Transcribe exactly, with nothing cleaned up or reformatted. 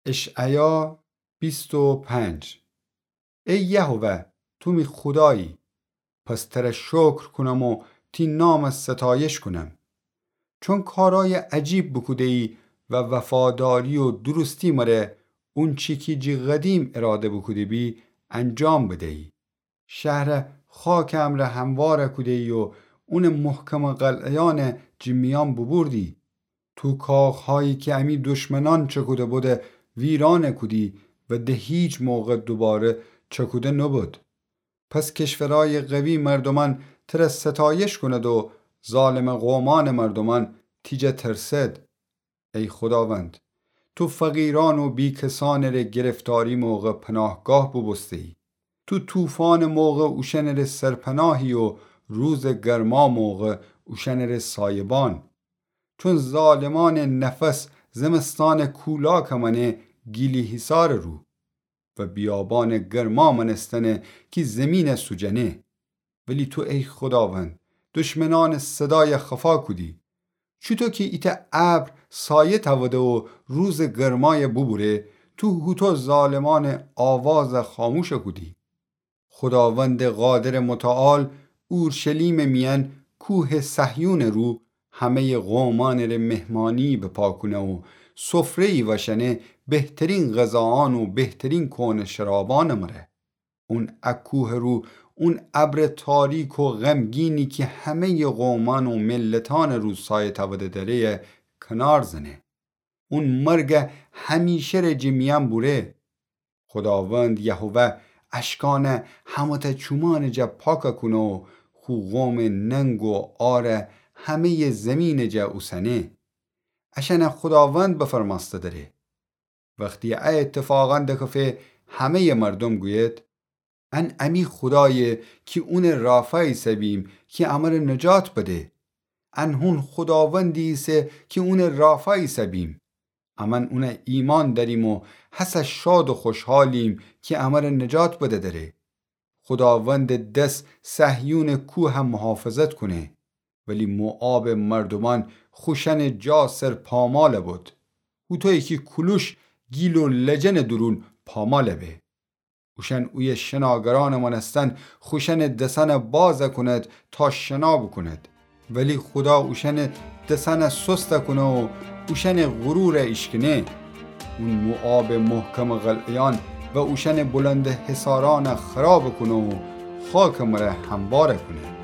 اشعیا بیست و پنج. ای یهوه، تو می خودایی، پس تره شکر کونم و تی نام ستایش کونم. چون کارای عجیب بوکوده‌یی و وفاداری و درستی مره اونچی کی جی قدیم اراده بوکوده‌بی انجام بده‌یی. شهره خاکٚ امرأ همواره کوده‌یی و اونٚ محکمٚ قلعه‌یأنه جی میأن بوبوردی. تو کاخهایی کی امی دشمنأن چکوده بوده ویرانه کودی و ده هیچ موقع دوباره چکوده نوبود. پس کشورأیٚ قوی مردومأن تره ستایش کونید و ظالمٚ قومأنٚ مردومأن تی جا ترسد. ای خوداوند، تو فقیرأن و بیکسأنٚ ره گرفتاری موقع پناهگاه بوبوسته‌یی. تو طوفانٚ موقع اوشأنٚ ره سرپناهی و روزٚ گرما موقع اوشأنٚ ره سایبان. چون ظالمأنٚ نفس زمستانٚ کولاکٚ مأنه گیلی‌حصارٚ رو و بیابانٚ گرما مأنستنه کی زیمینه سوجنه. ولی تو ای خوداوند، دشمنأنٚ صدای خفا کودی. چوطو کی ایتأ ابر سایه تأوده و روزٚ گرمای بوبوره، تو هوطو ظالمأنٚ آواز خاموش کودی. خوداوندٚ قادرٚ متعال اورشلیمٚ میأن کوهٚ صهیونٚ رو همه‌یٚ قومأنٚ ره مهمانی بپا کونه و سفره‌یی وأشأنه بهترین غذاأن و بهترین کؤنه شرابأنٚ مره. اون ا کوهٚ رو اون ابرٚ تاریک و غمگینی کی همه‌یٚ قومأن و ملتأنٚ رو سایه تأوده دره کنار زنه. اون مرگ همیشه ره جٚه میأن بوره. خوداوند یهوه اشکأنه همه‌تأ چومأنٚ جا پاک کونه و خو قومٚ ننگ و عاره همه‌یٚ زیمینٚ جا اوسنه. اشأنه خوداوند بفرمأسته دره. وختی ا ایتفاقأن دکفه، همه‌یٚ مردوم گویید: ان امی خودایه کی اونٚ رافا ایسه‌بیم کی امر نجات بده. ان هون خوداوندی ایسه کی اونٚ رافا ایسه‌بیم. امأن اون ایمأن دأریم و هسه شاد و خوشحالیم کی امر نجات بده دره. خوداوندٚ دس صهیونٚ کوه محافظت کونه. ولی موآبٚ مردومأن خوشأنٚ جا سر پامال بود. هوطویی کی کولوش گیل و لجنٚ دورون پامال به. اوشأن اویه شناگرأنٚ مأنستن خوشأنٚ دسأن باز کونید تا شنا بوکونید. ولی خودا اوشأنٚ دسأن سست کونه و اوشأنٚ غرور ایشکنه. اون موآبٚ محکمٚ قلعه‌یأن و اوشأنٚ بلندٚ حصارأن خراب کونه و خاکٚ مره هموار کونه.